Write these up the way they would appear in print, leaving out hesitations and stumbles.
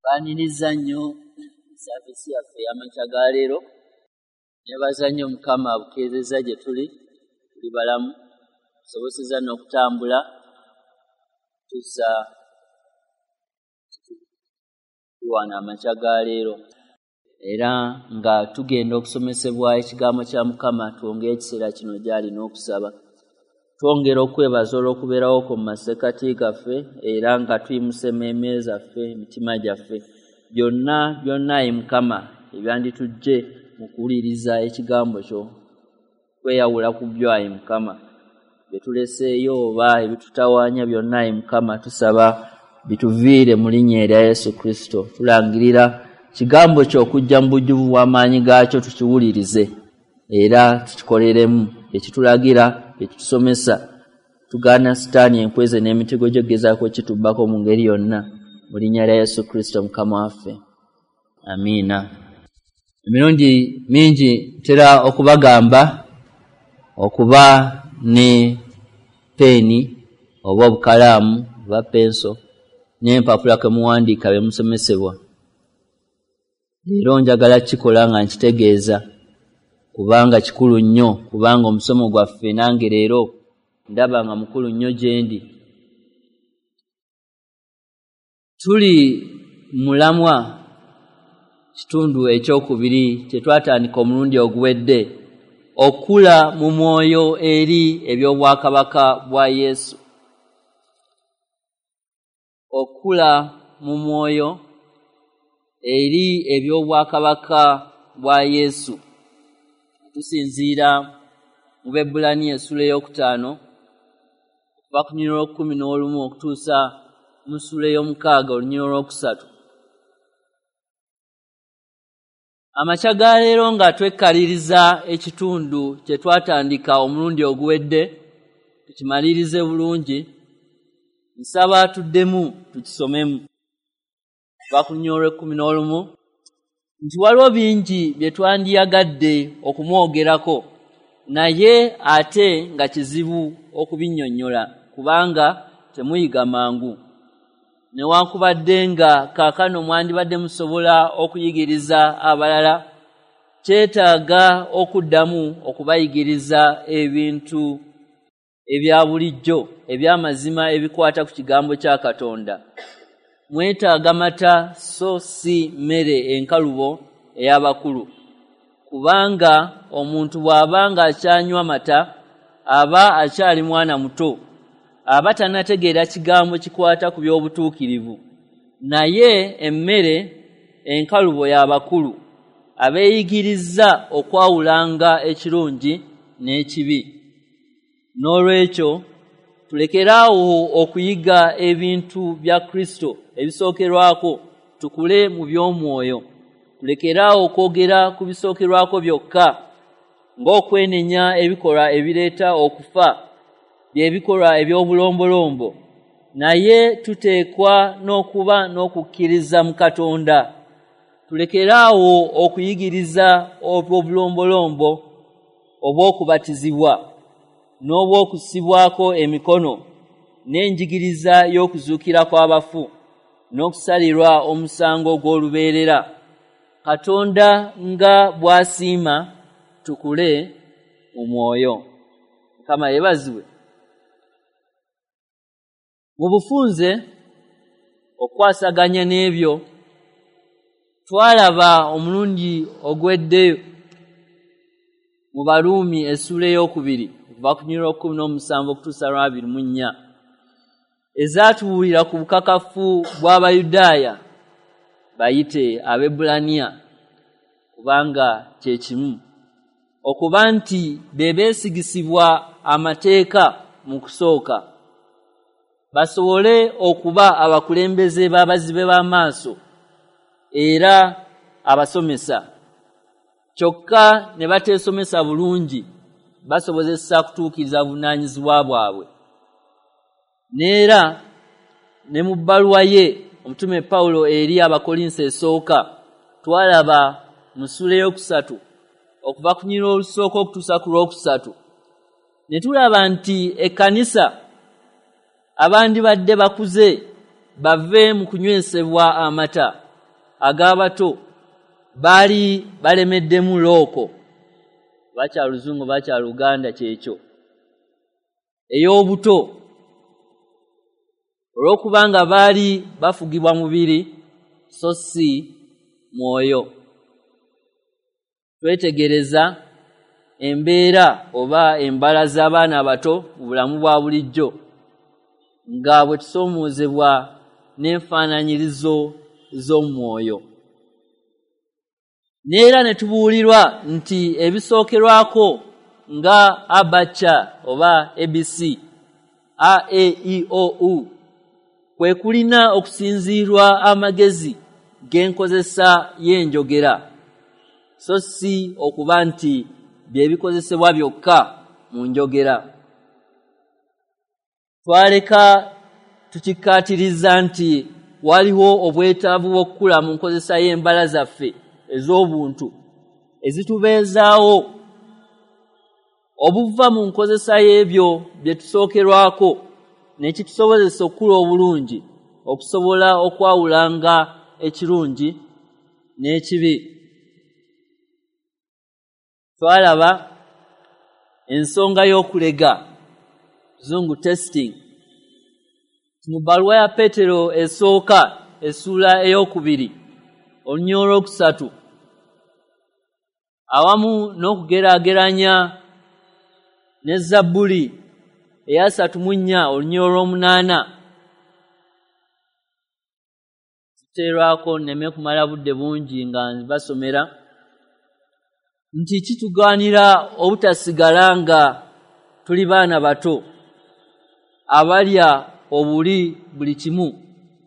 Mbaniriza nnyo service yaffe y'amakya ga leero. Nebaza nnyo Mukama abukeezezza gye tuli, tuli balamu, tusobosezza n'okutambula tussa wano amakya ga leero. Era nga tugenda okusomesebwa ekigambo kya Mukama, twongere ekiseera kino gy'ali n'okusaba. Twongera okwebaza olw'okubeerawo kwo mu masekkati gaffe, era nga tuyimusa emmeeme zaffe, emitima gyaffe, byonna byonna ayi Mukama ebyanditujje mu kuwuliriza ekigambo kyo, kweyawula ku byo ayi Mukama. Bye tuleseeyo oba ebitutawaanya byonna ayi Mukama, tusaba bituviire mu linnya erya Yesu Kristo. Tulangirira kigambo kyo okujja mu bujjuvu bw'amaanyi gaakyo, tukiwulirize era tukikoleremu, ekitulagira, ekitusomesa. Tugaana Sitaani enkweze n'emitego gye gezaako kitubbako mu ngeri yonna, mu linnya lya Yesu Kristo Mukama waffe. Amiina. Emirundi mingi ntera okubagamba okuba ne peeni oba obukalaamu oba penso n'empapula kwe muwandiika bye musomesebwa. Leero njagala kikola nga nkitegeeza, kubanga kikulu nnyo, kubanga omusomo gwaffe nange leero ndaba nga mukulu nnyo gye ndi. Tuli mulamwa kitundu ekyokubiri kye twatandika omulundi oguwedde, okula mu mwoyo eri eby'obwakabaka bwa Yesu. Okula mu mwoyo eri eby'obwakabaka bwa Yesu. Tusinziira mu Baebbulaniya essula 5 okuva ku lunyiriri lw'okumu okutuusa mu ssula 6 olunyiriri lw'okusatu. Amakya ga leero nga twekkaliriza ekitundu kye twatandika omulundi oguwedde, tukimalirize bulungi. Nsaba tuddemu tukisomemu okuva ku lunyiriri lw'okumu nti waliwo bingi bye twandiyagadde okumwogerako, naye ate nga kizibu okubinnyonnyola kubanga temuyiga mangu. Newankubadde nga kaakano mwandibadde musobola okuyigiriza abalala, kyetaaga okuddamu okubayigiriza ebintu ebya bulijjo eby'amazima ebikwata ku kigambo kya Katonda. Mwetaaga mata so si mmere enkalubo ey'abakulu, kubanga omuntu bw'aba ng'akyanywa mata aba akyali mwana muto, aba tannategeera kigambo kikwata ku by'obutuukirivu. Naye emmere enkalubo y'abakulu, abeeyigiriza okwawulanga ekirungi n'ekibi. N'olwekyo tulekeraawo okuyiga ebintu bya Kristo ebisookerwako, tukule mu by'omwoyo. Tulekeraawo okwogera ku bisookerwako byokka, ng'okwenenya ebikolwa ebireeta okufa, by'ebikolwa eby'obulombolombo, naye tuteekwa n'okuba n'okukkiriza mu Katonda. Tulekeraawo okuyigiriza obulombolombo obw'okubatizibwa n'obw'okusibwako emikono, n'enjigiriza y'okuzuukira kw'abafu, n'okusalirwa omusango gw'olubeerera. Katonda nga bw'asiima tukule mu mwoyo. Mukama yeebazibwe. Mu bufunze okwasaganya n'ebyo twalaba omulundi ogwedde mu Baruumi essula 2 okuva ku lunyiriri lw'okumu okutuusa 24, ezaatubuulira ku bukakafu bw'Abayudaaya bayite Abaebbulaniya, kubanga kye kimu, okuba nti be beesigisibwa amateeka mu kusooka, basobole okuba abakulembeze b'abazibe b'amaaso era abasomesa, kyokka ne bateesomesa bulungi basobozesa kutuukiriza buvunaanyizibwa bwabwe. N'era ne mu bbaluwa ye omutume Pawulo eri Abakolinso esooka, twalaba mu ssula 3 okuva ku lunyiriri olusooka okutuusa ku lwokusatu, ne tulaba nti ekkanisa abandibadde bakuze bave mu kunywesebwa amata ag'abato baali balemeddemu looko, bakyaluzungu bakyaluganda kyekyo, ey'obuto, olw'okubanga baali bafugibwa mubiri so si mwoyo. Twetegereza embeera oba embala z'abaana abato mu bulamu bwa bulijjo nga bwe tusoomoozebwa n'enfaananyirizo z'omwoyo. Neera ne tubuulirwa nti ebisookerwako nga abacha oba ABC, A, E, I, O, U, kwe kulina okusinziirwa amagezi g'enkozesa y'enjogera, so si okuba nti bye bikozesebwa byokka mu njogera. Twaleka tukikkaatiriza nti waliwo obwetaavu bw'okukula mu nkozesa y'embala zaffe ez'obuntu ezitubeezaawo obuva mu nkozesa y'ebyo bye tusookerwako, ne kitusobozesa okukula obulungi okusobola okwawulanga ekirungi n'ekibi. Twalaba ensonga y'okulega, zungu testing. Mu bbaluwa ya Peetero esooka essuula 2 olunyiriri 3, awamu n'okugeraageranya ne Zabbuli eya 34 olunyiriri 8, tuteerwako nneme kumala budde bungi nga basomera nti kitugaanira obutasigala nga tuli baana bato abalya obuli buli kimu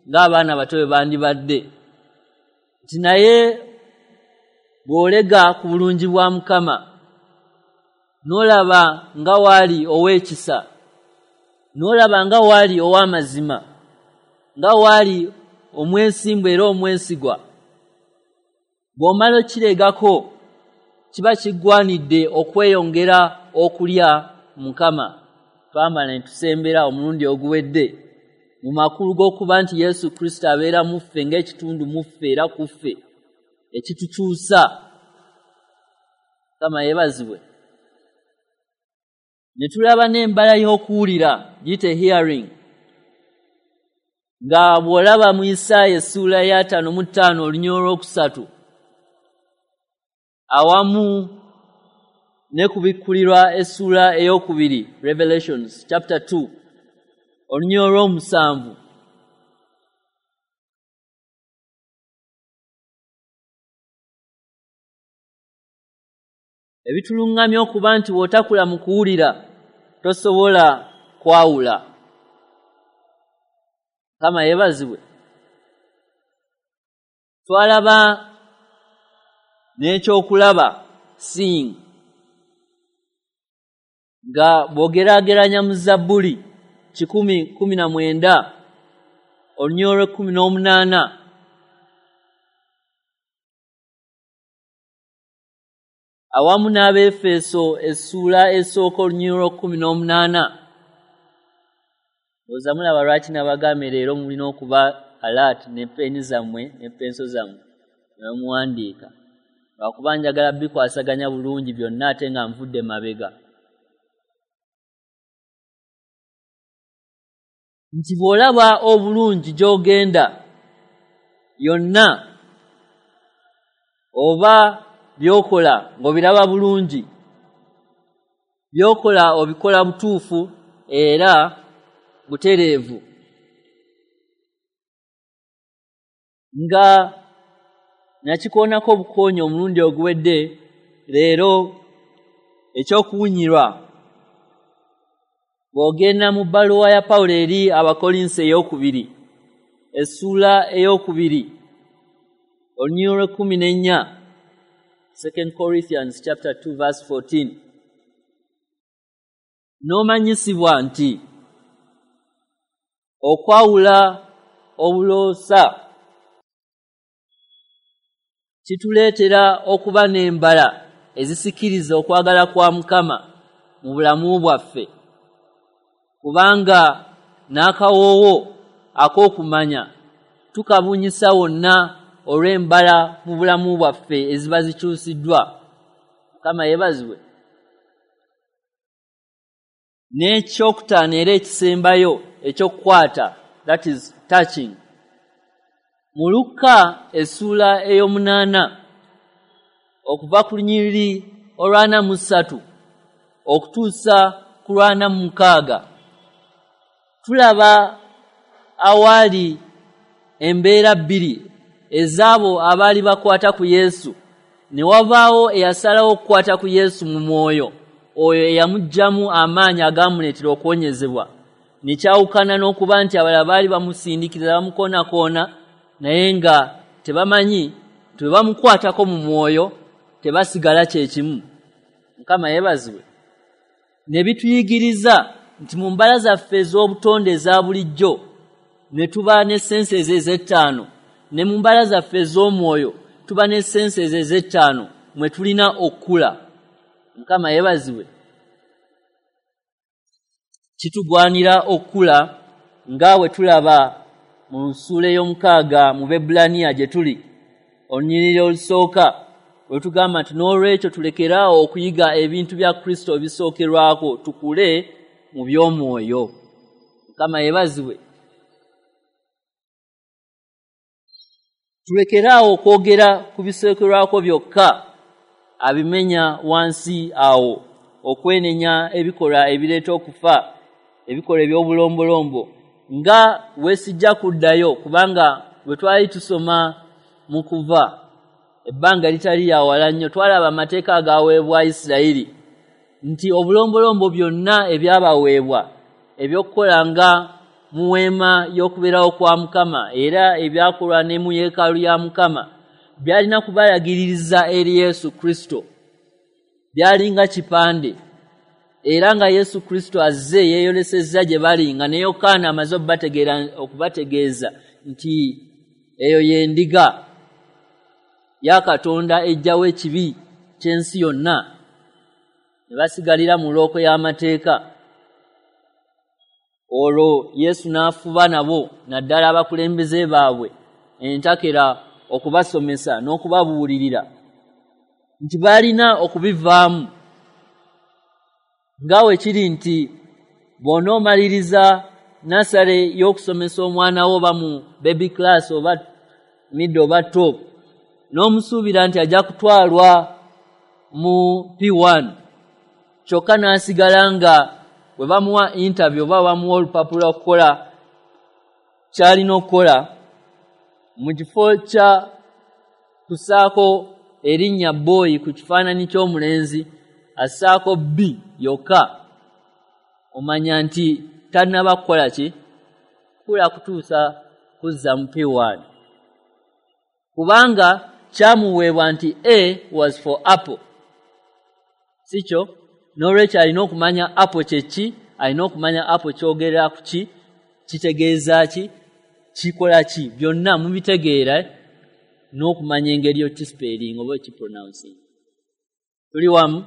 ng'abaana bato bwe bandibadde, nti naye bw'olega ku bulungi bwa Mukama n'olaba nga waali ow'ekisa, n'olaba nga waali ow'amazima, nga waali omwesimbu era omwesigwa, bw'omala okiregako kiba kiggwanidde okweyongera okulya Mukama. Twamala ne tusembera omulundi oguwedde mu makulu g'okuba nti Yesu Kristo abeera mu ffe ng'ekitundu mu ffe era ku ffe ekitukyusa. Mukama yeebazibwe. Ne tulaba n'embala y'okuwulira, giyite hearing, nga bw'olaba mu Isaaya essuula ya 55 olunyiriri 3, awamu ne kubikkulirwa essuula 2, Revelations chapter 2 olunyiriri 7, ebitulungamya okuba nti bw'otakula mu kuwulira tosobola kwawula. Mukama yeebazibwe. Twalaba n'ekyokulaba, seeing, nga bw'ogeraageranya mu Zabbuli 119 olunyiriri 18, awamu n'Abeefeso essuula 1 olunyiriri 18. Ndowooza mulaba lwaki nabagambye leero mulina okuba alert ne peni zammwe ne penso zammwe ne muwandiika, lwakuba njagala bikwasaganya bulungi byonna ate nga nvudde mabega. Nti bw'olaba obulungi gy'ogenda yonna oba by'okola ng'obiraba bulungi, by'okola obikola butuufu era butereevu, nga nakikoonako obukoonyi omulundi oguwedde. Leero ekyokuwunyirwa, bw'ogenda mu bbaluwa ya Pawulo eri Abakolinso 2 essuula 2 olunyiriri 14, 2 Corinthians chapter 2 verse 14, n'omanyisibwa nti okwawula obuloosa kituleetera okuba n'embala ezisikiriza okwagala kwa Mukama mu bulamu bwaffe, kubanga n'akawoowo ak'okumanya tukabunyisa wonna olw'embala mu bulamu bwaffe eziba zikyusiddwa. Mukama yeebazibwe. N'ekyokutaano era ekisembayo ekyokukwata, that is touching, mu Lukka essuula 8 okuva ku lunyiriri olw'43 okutuusa ku 46, tulaba awaali embeera bbiri ezaabo abaali bakwata ku Yesu. Ne wabaawo eyasalawo okukwata ku Yesu mu mwoyo, oyo eyamuggyamu amaanyi agamuleetera okuwonyezebwa, ne kyawukana n'okuba nti abalala baali bamusindikiriza bamukoonakoona, naye nga tebamanyi nti bwe bamukwatako mu mwoyo tebasigala kye kimu. Mukama yeebazibwe. Ne bituyigiriza nti mu mbala zaffe ez'obutonde eza bulijjo ne tuba ne senses ez'ettaano, ne mu mbala zaffe ez'omwoyo tuba ne senses ez'ettaano mwe tulina okukula. Mukama yeebazibwe. Kitugwanira okukula nga bwe tulaba mu ssuula 6 mu Bebbulaniya gye tuli, olunyiriri olusooka, we tugamba nti n'olwekyo tulekeraawo okuyiga ebintu bya Kristo ebisookerwako, tukule mu by'omwoyo. Mukama yeebazibwe. Tulekeraawo okwogera ku bisookerwako byokka, abimenya wansi awo, okwenenya ebikolwa ebireeta okufa, ebikolwa eby'obulombolombo, nga weesijja kuddayo, kubanga bwe twali tusoma mu Kuva ebbanga litali lya wala nnyo, twalaba amateeka agaweebwa Isirayiri, nti obulombolombo byonna ebyabaweebwa ebyokukola nga mu weema y'okubeerawo kwa Mukama, era ebyakolwa ne mu yeekaalu ya Mukama, byalina kubalagiririza eri Yesu Kristo. Byalinga kipande, era nga Yesu Kristo azze yeeyolesezza gye bali, nga ne Yokaana amaze okubategeeza nti eyo y'endiga ya Katonda ejjawo ekibi ky'ensi yonna, ne basigalira mu looko y'amateeka. Olwo Yesu n'afuba nabo, naddala abakulembeze baabwe entakera, okubasomesa n'okubabuulirira nti baalina okubivaamu, nga we kiri nti bw'onoomaliriza nursery y'okusomesa omwana wo oba mu baby class oba middle oba top, n'omusuubira nti ajja kutwalwa mu P1, kyokka n'asigala nga bwe bamuwa interview oba bamuwa olupapula okukola ky'alina okukola, mu kifo kya kussaako erinnya boy ku kifaananyi ky'omulenzi, assaako B yokka, omanya nti tannaba kukola ki kula kutuusa kuzza mu P1, kubanga kyamuweebwa nti A was for apple, si kyo? N'olwekyo alina okumanya apple kye ki, alina okumanya apple kyogera ku ki, kitegeeza ki, kikola ki, byonna mubitegeera, n'okumanya engeri y'okispelling oba okipronouncing. Tuli wamu?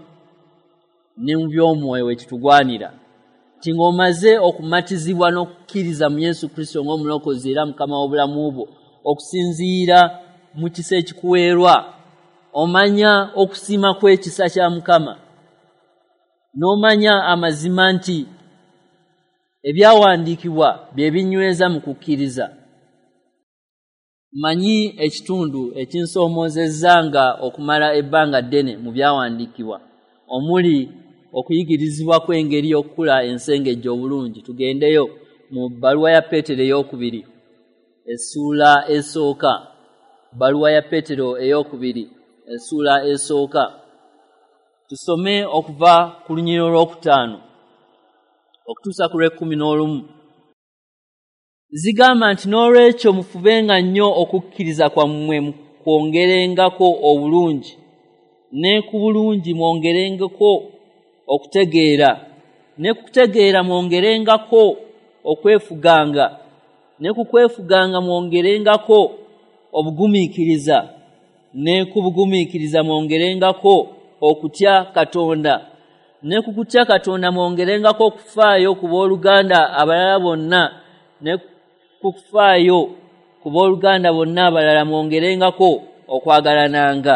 Ne mu by'omwoyo we kitugwanira nti ng'omaze okumatizibwa n'okukkiriza mu Yesu Kristo ng'omulokozi era Mukama w'obulamu bwo, okusinziira mu kisa ekikuweerwa, omanya okusiima kw'ekisa kya Mukama, n'omanya amazima nti ebyawandiikibwa bye binyweza mu kukkiriza. Mmanyi ekitundu ekinsoomoozezza nga okumala ebbanga ddene mu byawandiikibwa, omuli okuyigirizibwa kw'engeri y'okukula ensengejje obulungi. Tugendeyo mu bbaluwa ya Peetero 2 essuula 1. Bbaluwa ya Peetero 2 essuula 1, tusome okuva ku lunyiriri olwokutaano okutuusa ku lw'ekkumi n'olumu. Zigamba nti n'olwekyo mufubenga nnyo okukkiriza kwammwe kwongerengako obulungi, ne ku bulungi mwongerengako okutegeera, ne ku kutegeera mwongerengako okwefuganga, ne ku kwefuganga mwongerengako obugumiikiriza, ne ku bugumiikiriza mwongerengako okutya Katonda, ne ku kutya Katonda mwongerengako okufaayo ku booluganda abalala bonna, ne ku kufaayo ku booluganda bonna abalala mwongerengako okwagalananga.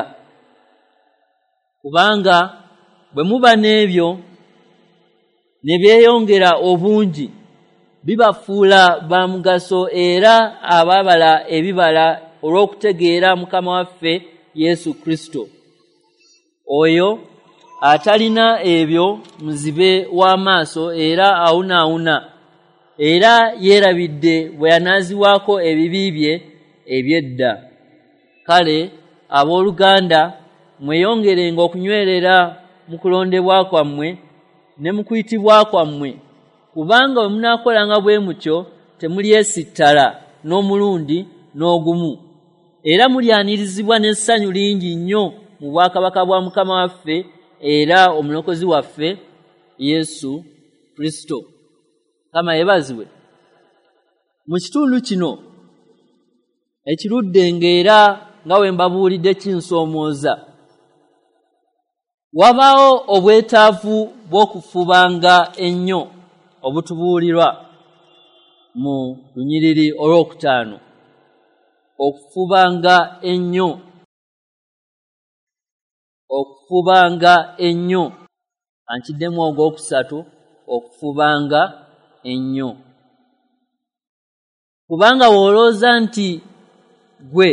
Kubanga bwe muba n'ebyo ne byeyongera obungi, bibafuula ba mugaso era ababala ebibala olw'okutegeera Mukama waffe Yesu Kristo. Oyo atalina ebyo muzibe w'amaaso era awunaawuna, era yeerabidde bwe yanaazibwako ebibi bye eby'edda. Kale abooluganda, mweyongerenga okunywerera mu kulondebwa kwammwe ne mu kuyitibwa kwammwe, kubanga bwe munaakolanga bwe mutyo temulyesittala n'omulundi n'ogumu, era mulyanirizibwa n'essanyu lingi nnyo mu bwakabaka bwa Mukama waffe era omulokozi waffe Yesu Kristo. Mukama yeebazibwe. Mu kitundu kino ekirudde ng'era nga we mbabuulidde kinsoomooza, wabaawo obwetaavu bw'okufubanga ennyo obutubuulirwa mu lunyiriri olwokutaano. Okufubanga ennyo, okufubanga ennyo. Ankiddemu ogwokusatu, okufubanga ennyo. Kubanga w'olowooza nti gwe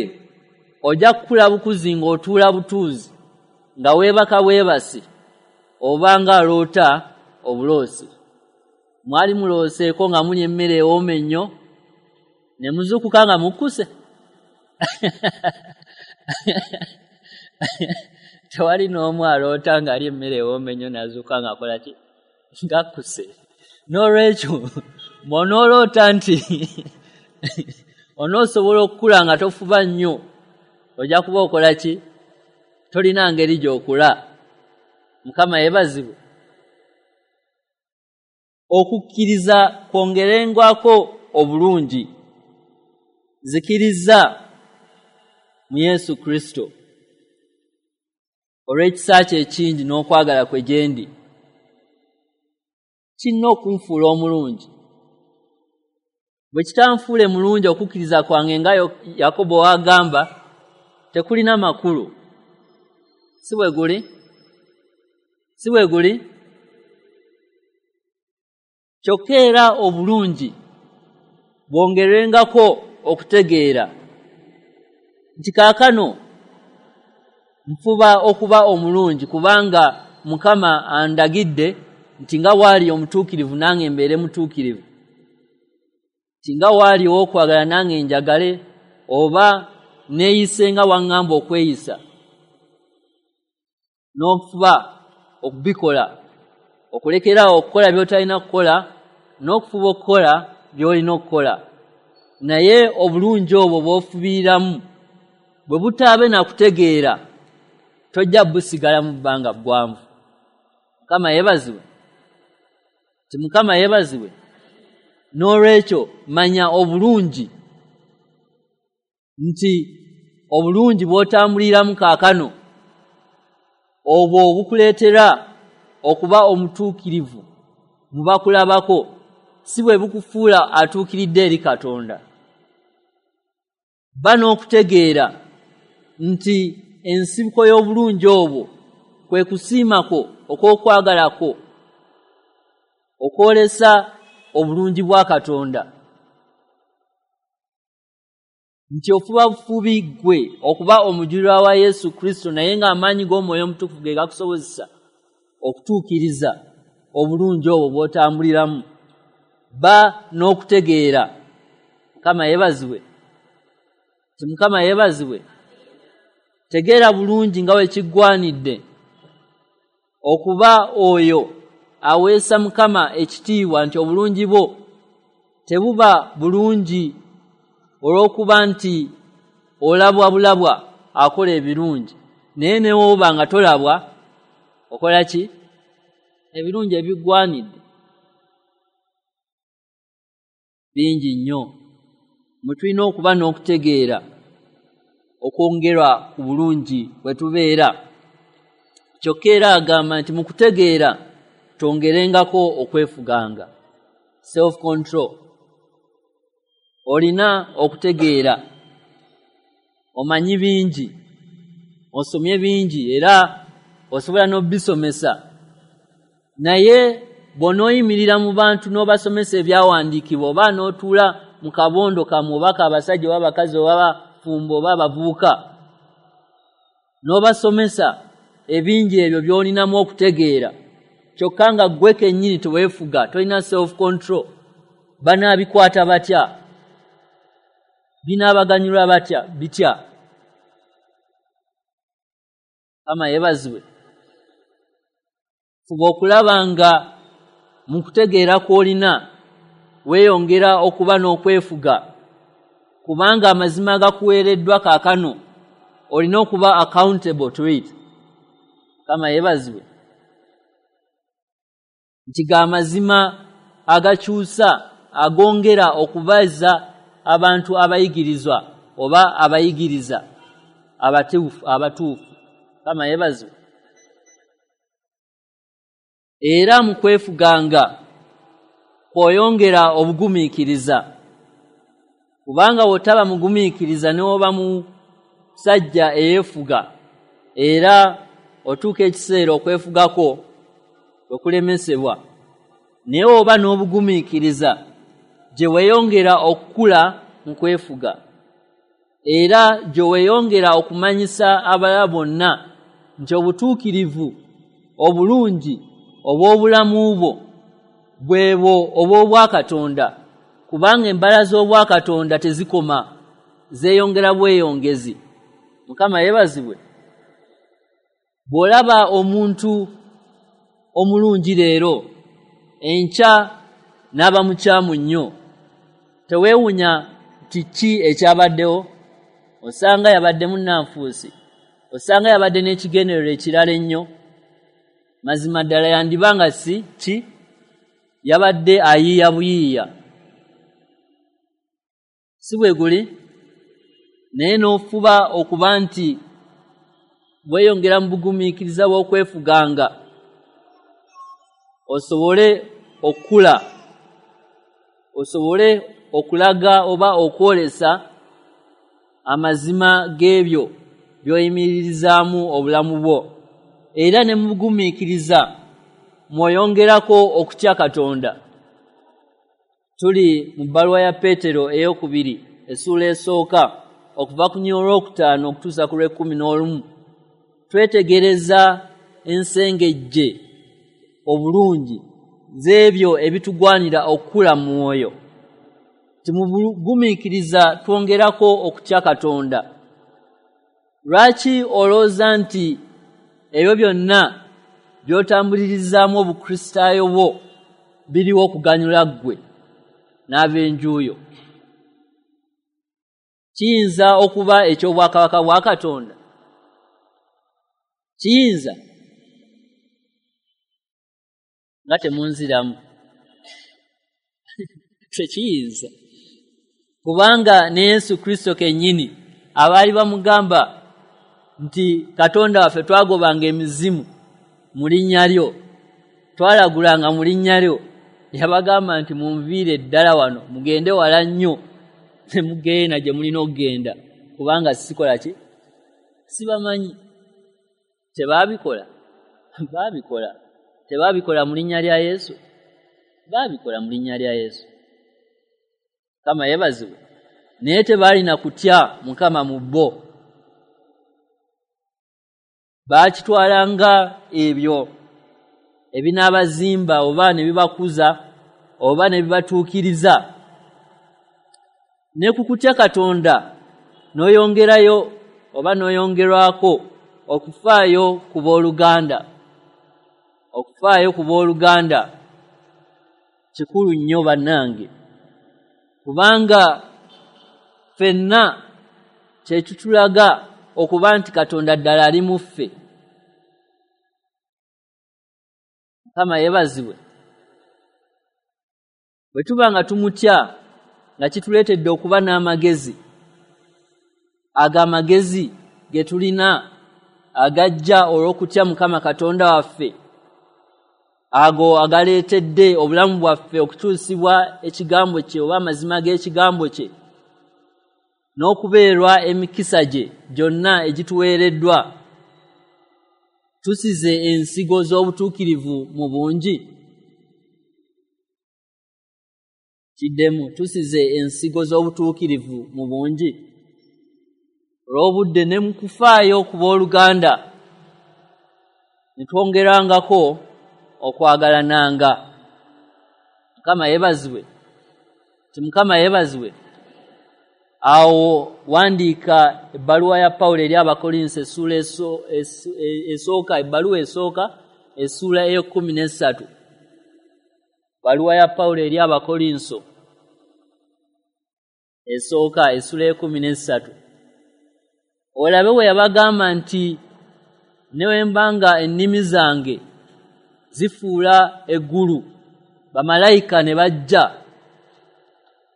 ojja kukula bukuzi ng'otuula butuuzi, nga weebaka bwebasi, oba ng'aloota obuloosi. Mwali mulooseeko nga mulya emmere ewooma ennyo ne muzuukuka nga mukkuse? Tewali n'omu aloota ng'alya emmere ewooma ennyo n'azuukuka ng'akola ki? Ng'akkuse. N'olwekyo bw'onooloota nti onoosobola okukula nga tofuba nnyo, ojja kuba okola ki? Tolina ngeri gy'okula. Mukama yeebazibwe. Okukkiriza kwongerengwako obulungi. Nzikiriza mu Yesu Kristo olw'ekisa kye ekingi n'okwagala kwe gye ndi, kirina okunfuula omulungi. Bwe kitanfuule mulungi, okukkiriza kwange nga Yakobo w'agamba tekulina makulu. Si bwe guli? Si bwe guli? Kyokka era obulungi bwongerwengako okutegeera nti kaakano nfuba okuba omulungi, kubanga Mukama andagidde nti nga bw'ali omutuukirivu nange mbeere mutuukirivu, nti nga bw'ali ow'okwagala nange njagale, oba neeyise nga bw'aŋŋamba okweyisa, n'okufuba okubikola, okulekeraawo okukola by'otalina kukola n'okufuba okukola by'olina okukola. Naye obulungi obwo bw'ofubiiramu bwe butaabe na kutegeera, tojja busigala mu bbanga ggwanvu. Mukama yeebazibwe. Ti Mukama yeebazibwe. N'olwekyo manya obulungi nti obulungi bw'otambuliramu kaakano obwo bukuleetera okuba omutuukirivu mu bakulabako, si bwe bukufuula atuukiridde eri Katonda. Ba n'okutegeera nti ensibuko y'obulungi obwo kwe kusiima kwo okw'okwagala kwo okwolesa obulungi bwa Katonda, nti ofuba bufubi ggwe okuba omujulirwa wa Yesu Kristo, naye ng'amaanyi g'Omwoyo Omutukuvu ge gakusobozesa okutuukiriza obulungi obwo bw'otambuliramu. Ba n'okutegeera. Mukama yeebazibwe. Ti Mukama yeebazibwe. Tegeera bulungi nga bwe kiggwanidde okuba oyo aweesa Mukama ekitiibwa, nti obulungi bwo tebuba bulungi olw'okuba nti olabwa bulabwa akola ebirungi, naye ne bw'oba nga tolabwa okola ki? Ebirungi ebigwanidde bingi nnyo. Mwe tulina okuba n'okutegeera okwongerwa ku bulungi bwe tubeera. Kyokka era agamba nti mu kutegeera twongerengako okwefuganga, self control. Olina okutegeera, omanyi bingi, osomye bingi, era osobola n'obisomesa, naye bw'onooyimirira mu bantu n'obasomesa ebyawandiikibwa, oba n'otuula mu kabondo kammwe oba k'abasajja oba abakazi oba abafumbo oba abavubuka, n'obasomesa ebingi ebyo by'olinamu okutegeera, kyokka nga ggwe kennyini teweefuga, tolina self control, banaabikwata batya? Binaabaganyulwa batya bitya? Mukama yeebazibwe. Fuba okulaba nga mu kutegeera kw'olina weeyongera okuba n'okwefuga, kubanga amazima agakuweereddwa kaakano olina okuba accountable to it. Mukama yeebazibwe. Nti ga mazima agakyusa, agongera okubaza abantu abayigirizwa oba abayigiriza abatuufu. Mukama yeebazibwe. Era mu kwefuganga kw'oyongera obugumiikiriza, kubanga bw'otaba mugumiikiriza n'oba musajja eyeefuga, era otuuka ekiseera okwefugako okulemesebwa. Naye oba n'obugumiikiriza gye weeyongera okukula mu kwefuga, era gye weeyongera okumanyisa abalala bonna nti obutuukirivu obulungi obw'obulamu bwo bwebwo obw'obwakatonda, kubanga embala z'obwakatonda tezikoma, zeeyongera bweyongezi. Mukama yeebazibwe. Bw'olaba omuntu omulungi leero, enkya n'aba mukyamu nnyo, teweewunya nti ki ekyabaddewo. Osanga yabadde munnanfuusi, osanga yabadde n'ekigendererwa ekirala ennyo. Mazima ddala yandiba nga si ki, yabadde ayiiya buyiiya, si bwe guli? Naye n'ofuba okuba nti weeyongera mu bugumiikiriza bw'okwefuganga, osobole okukula, osobole okulaga oba okwolesa amazima g'ebyo by'oyimiririzaamu obulamu bwo. Era ne mu bugumiikiriza mw'oyongerako okutya Katonda. Tuli mu bbaluwa ya Peetero ey'okubiri essuula esooka, okuva ku nnyiriri olwokutaano okutuusa ku lw'ekumi n'olumu. Twetegereza ensengejje obulungi z'ebyo ebitugwanira okukula mu mwoyo. Nti mu bugumiikiriza twongerako okutya Katonda. Lwaki olowooza nti ebyo byonna by'otambulirizaamu obukristaayo bwo biriwo okuganyula ggwe n'ab'enju yo? Kiyinza okuba eky'obwakabaka bwa Katonda? Kiyinza? Nga temunziramu. Tekiyinza, kubanga ne Yesu Kristo kennyini abaali bamugamba nti Katonda waffe, twagobanga emizimu mu linnya lyo, twalagulanga mu linnya lyo, yabagamba nti munviire ddala wano, mugende wala nnyo, temugenda gye mulina okugenda, kubanga sikola ki, sibamanyi. Tebaabikola? Baabikola. Tebaabikola mu linnya lya Yesu? Baabikola mu linnya lya Yesu. Mukama yeebazibwe. Naye tebaalina kutya Mukama mu bo, baakitwalanga ebyo ebinaabazimba oba ne bibakuza oba ne bibatuukiriza. Ne ku kutya Katonda n'oyongerayo oba n'oyongerwako okufaayo ku booluganda. Okufaayo ku booluganda kikulu nnyo bannange, kubanga ffenna kye kitulaga okuba nti Katonda ddala ali mu ffe. Mukama yeebazibwe. Bwe tuba nga tumutya, nga kituleetedde okuba n'amagezi, ago amagezi ge tulina agajja olw'okutya Mukama Katonda waffe, Ago agaleetedde obulamu bwaffe okukyusibwa ekigambo kye oba amazima g'ekigambo kye, n'okubeerwa emikisa gye gyonna egituweereddwa. Tusize ensigo z'obutuukirivu mu bungi. Kiddemu, tusize ensigo z'obutuukirivu mu bungi. Olw'obudde ne mu kufaayo ku booluganda, ne twongerangako okwagalananga. Mukama yeebazibwe. Ti Mukama yeebazibwe. Awo wandiika ebbaluwa ya Pawulo eri Abakolinso essuula esooka, ebbaluwa esooka essuula ey'ekkumi n'essatu. Ebbaluwa ya Pawulo eri Abakolinso esooka essuula ey'ekkumi n'essatu, olabe bwe yabagamba nti ne bwe mba nga ennimi zange zifuula eggulu, bamalayika ne bajja,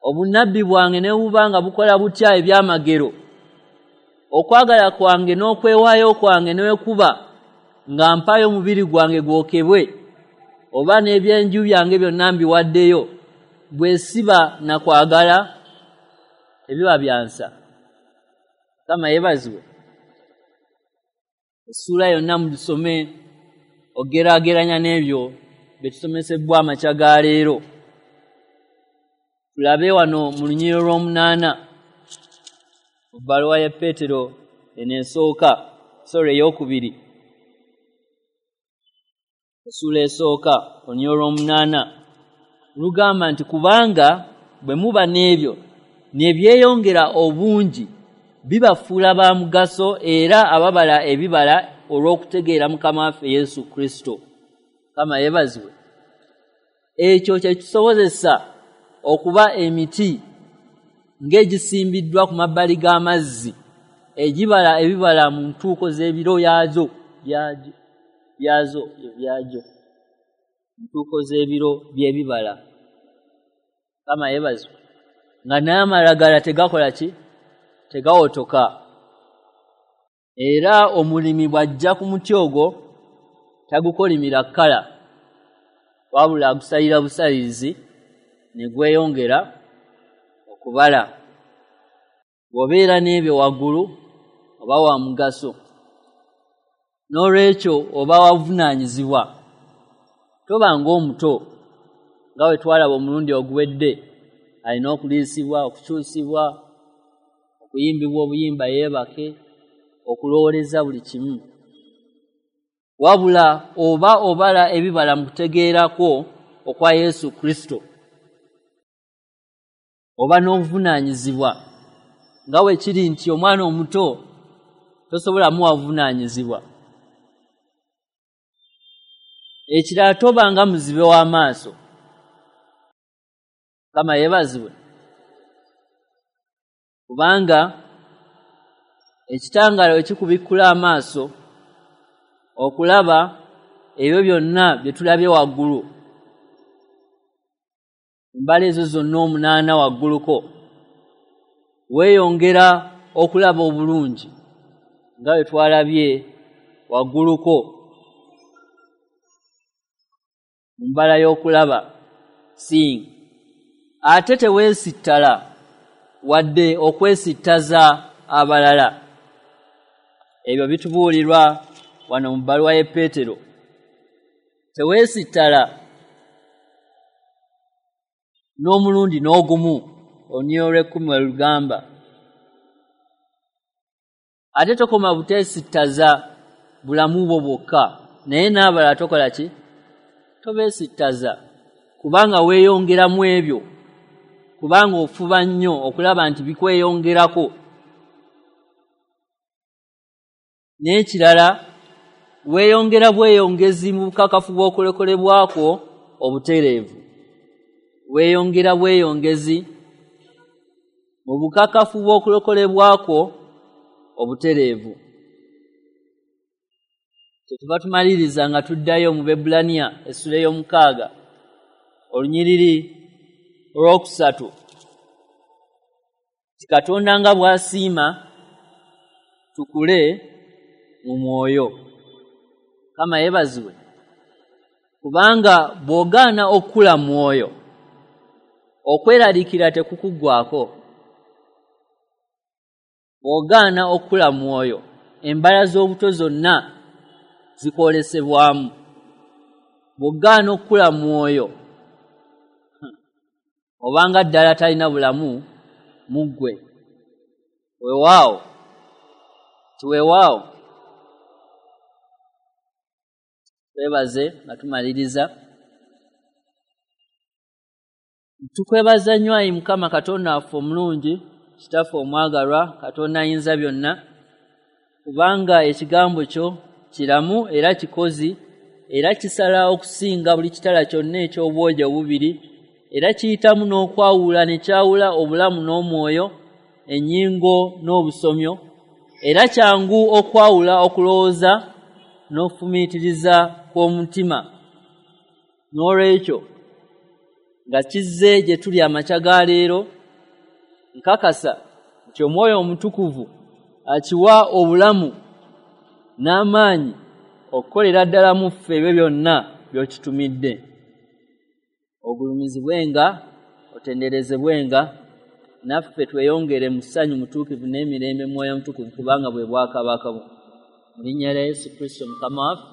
obunnabbi bwange ne buba nga bukola butya ebyamagero, okwagala kwange n'okwewaayo kwange ne bwe kuba nga mpaayo omubiri gwange gwokebwe, oba n'ebyenju byange byonna mbiwaddeyo, bwe siba na kwagala, tebiba byansa. Mukama yeebazibwe. Essuula yonna mugisome ogeraageranya n'ebyo bye tusomesebbwa amakya ga leero. Tulabe wano mu lunyiriri olw'omunaana mu bbaluwa ya Peetero eno esooka, sorry, ey'okubiri, essuula esooka olunyiriri olw'omunaana lugamba nti kubanga bwe muba n'ebyo ne byeyongera obungi, bibafuula ba mugaso era ababala ebibala olw'okutegeera Mukama waffe Yesu Kristo. Mukama yeebazibwe. Ekyo kye kisobozesa okuba emiti ng'egisimbiddwa ku mabbali g'amazzi, egibala ebibala mu ntuuko z'ebiro yaazo byazo byagyo, ntuuko z'ebiro by'ebibala. Mukama yeebazibwe. Nga n'amalagala tegakola ki? Tegawotoka. Era omulimi bw'ajja ku muti ogwo tagukolimira kkala, wabula agusalira busalirizi ne gweyongera okubala. Bw'obeera n'ebyo waggulu, oba wa mugaso, n'olwekyo oba wabuvunaanyizibwa. Toba ng'omuto nga bwe twalaba omulundi oguwedde, alina okuliisibwa, okukyusibwa, okuyimbibwa obuyimba yeebake, okulowooleza buli kimu, wabula oba obala ebibala mu kutegeera kwo okwa Yesu Kristo. Oba n'obuvunaanyizibwa, nga bwe kiri nti omwana omuto tosobola muwa buvunaanyizibwa. Ekirala, toba nga muzibe w'amaaso. Mukama yeebazibwe. Kubanga ekitangaala bwe kikubikkula amaaso okulaba ebyo byonna bye tulabye waggulu, embala ezo zonna omunaana wagguluko, weeyongera okulaba obulungi nga bwe twalabye wagguluko mu mbala y'okulaba, seeing. Ate teweesittala wadde okwesittaza abalala. Ebyo bitubuulirwa wano mu bbaluwa ye Peetero. Teweesittala n'omulundi n'ogumu, olunyiriri olw'ekkumi we lugamba. Ate tokoma buteesittaza bulamu bwo bwokka, naye n'abalala tokola ki? Tobeesittaza, kubanga weeyongeramu ebyo, kubanga ofuba nnyo okulaba nti bikweyongerako. N'ekirala, weeyongera bweyongezi mu bukakafu bw'okulokolebwa kwo obutereevu. Weeyongera bweyongezi mu bukakafu bw'okulokolebwa kwo obutereevu. Kyetuva tumaliriza nga tuddayo mu Baebbulaniya essula ey'omukaaga olunyiriri olwokusatu ti Katonda nga bw'asiima tukule mu mwoyo. Mukama yeebazibwe. Kubanga bw'ogaana okukula mwoyo, okweraliikirira tekukuggwaako. Bw'ogaana okukula mwoyo, embala z'obuto zonna zikwolesebwamu. Bw'ogaana okukula mwoyo, obanga ddala talina bulamu mu ggwe. Weewaawo, tiweewaawo. Twebaze nga tumaliriza. Tukwebaza nnyo ayi Mukama Katonda waffe omulungi, Kitaffe omwagalwa, Katonda ayinza byonna, kubanga ekigambo kyo kiramu era kikozi, era kisala okusinga buli kitala kyonna eky'obwogi obubiri, era kiyitamu n'okwawula ne kyawula obulamu n'omwoyo, ennyingo n'obusomyo, era kyangu okwawula okulowooza n'okufumiitiriza kw'omutima. N'olwekyo nga kizze gye tuli amakya ga leero, nkakasa nti Omwoyo Omutukuvu akiwa obulamu n'amaanyi okukolera ddala mu ffe ebyo byonna by'okitumidde. Ogulumizibwenga, otenderezebwenga, naffe tweyongere mu ssanyu mutuukirivu n'emirembe Mwoyo Mutukuvu, kubanga bwe bwakabaka bwo. Mu linnya lya Yesu Kristo Mukama waffe.